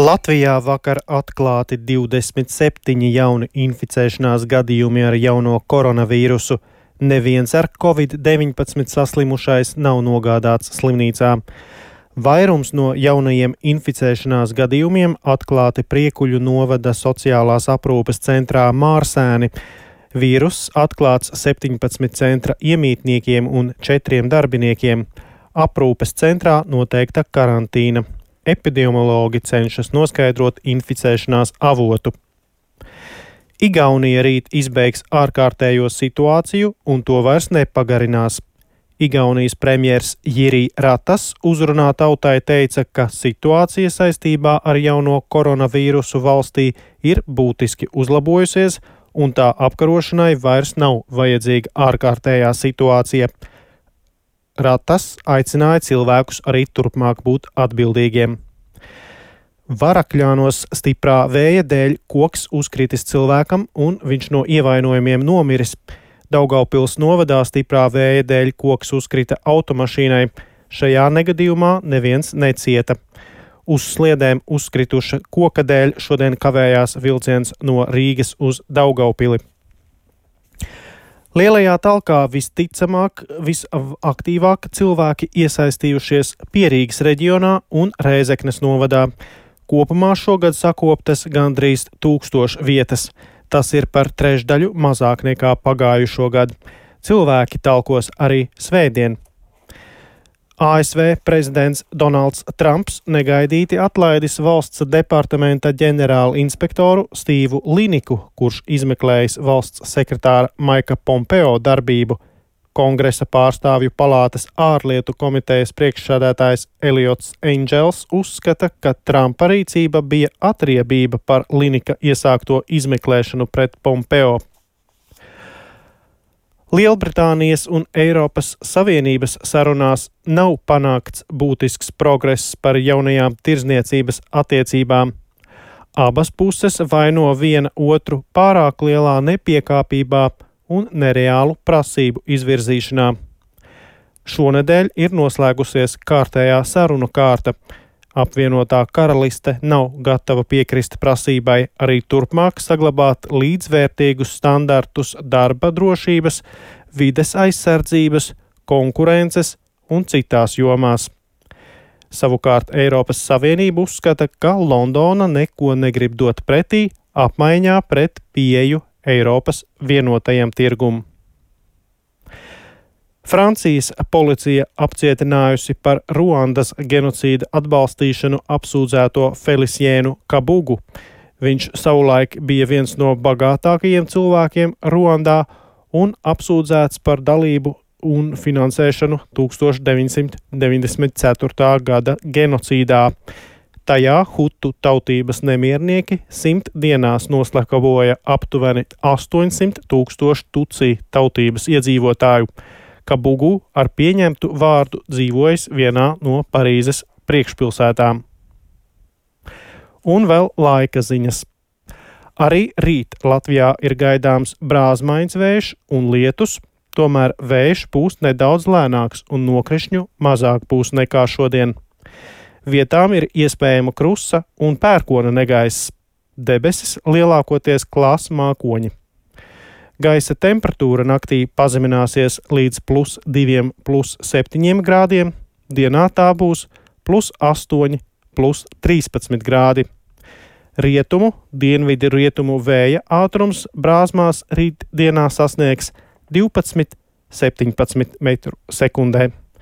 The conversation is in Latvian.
Latvijā vakar atklāti 27 jauni inficēšanās gadījumi ar jauno koronavīrusu. Neviens ar Covid-19 saslimušais nav nogādāts slimnīcā. Vairums no jaunajiem inficēšanās gadījumiem atklāti Priekuļu novada sociālās aprūpes centrā Mārsēni. Vīruss atklāts 17 centra iemītniekiem un 4 darbiniekiem. Aprūpes centrā noteikta karantīna. Epidemiologi cenšas noskaidrot inficēšanās avotu. Igaunija rīt izbeigs ārkārtējo situāciju un to vairs nepagarinās. Igaunijas premjers Jiri Ratas uzrunā tautai teica, ka situācija saistībā ar jauno koronavīrusu valstī ir būtiski uzlabojusies un tā apkarošanai vairs nav vajadzīga ārkārtējā situācija. Ratas aicināja cilvēkus arī turpmāk būt atbildīgiem. Varakļānos stiprā vēja dēļ koks uzkritis cilvēkam un viņš no ievainojumiem nomiris. Daugavpils novadā stiprā vēja dēļ koks uzkrita automašīnai. Šajā negadījumā neviens necieta. Uz sliedēm uzkrituša koka dēļ šodien kavējās vilciens no Rīgas uz Daugavpili. Lielajā talkā visticamāk, visaktīvāk cilvēki iesaistījušies Pierīgas reģionā un Rēzeknes novadā. Kopumā šogad sakoptas gandrīz 1000 vietas. Tas ir par trešdaļu mazāk nekā pagājušo gadu. Cilvēki talkos arī svētdien. ASV prezidents Donalds Trumps negaidīti atlaidis valsts departamenta ģenerālu inspektoru Stīvu Liniku, kurš izmeklējis valsts sekretāra Maika Pompeo darbību. Kongresa pārstāvju palātas ārlietu komitejas priekšsēdētājs Eliots Engels uzskata, ka Trumpa rīcība bija atriebība par Linika iesākto izmeklēšanu pret Pompeo. Lielbritānijas un Eiropas Savienības sarunās nav panākts būtisks progress par jaunajām tirzniecības attiecībām. Abas puses vaino viena otru pārāk lielā nepiekāpībā un nereālu prasību izvirzīšanā. Šonedēļ ir noslēgusies kārtējā sarunu kārta. Apvienotā karaliste nav gatava piekrist prasībai arī turpmāk saglabāt līdzvērtīgus standartus darba drošības, vides aizsardzības, konkurences un citās jomās. Savukārt Eiropas Savienība uzskata, ka Londona neko negrib dot pretī apmaiņā pret pieeju Eiropas vienotajam tirgum. Francijas policija apcietinājusi par Ruandas genocīda atbalstīšanu apsūdzēto Felicienu Kabugu. Viņš savulaik bija viens no bagātākajiem cilvēkiem Ruandā un apsūdzēts par dalību un finansēšanu 1994. gada genocīdā. Tajā hutu tautības nemiernieki 100 dienās noslakavoja aptuveni 800 000 tutsī tautības iedzīvotāju. Kabugu ar pieņemtu vārdu dzīvojis vienā no Parīzes priekšpilsētām. Un vēl laika ziņas. Arī rīt Latvijā ir gaidāms brāzmains vējš un lietus, tomēr vējš pūst nedaudz lēnāks un nokrišņu mazāk pūs nekā šodien. Vietām ir iespējama krusa un pērkona negaiss. Debesis lielākoties klās mākoņi. Gaisa temperatūra naktī pazemināsies līdz +2, +7 grādiem, dienā tā būs +8, +13 grādi. Rietumu, dienvidu rietumu vēja ātrums brāzmās rīt dienā sasniegs 12–17 metru sekundē.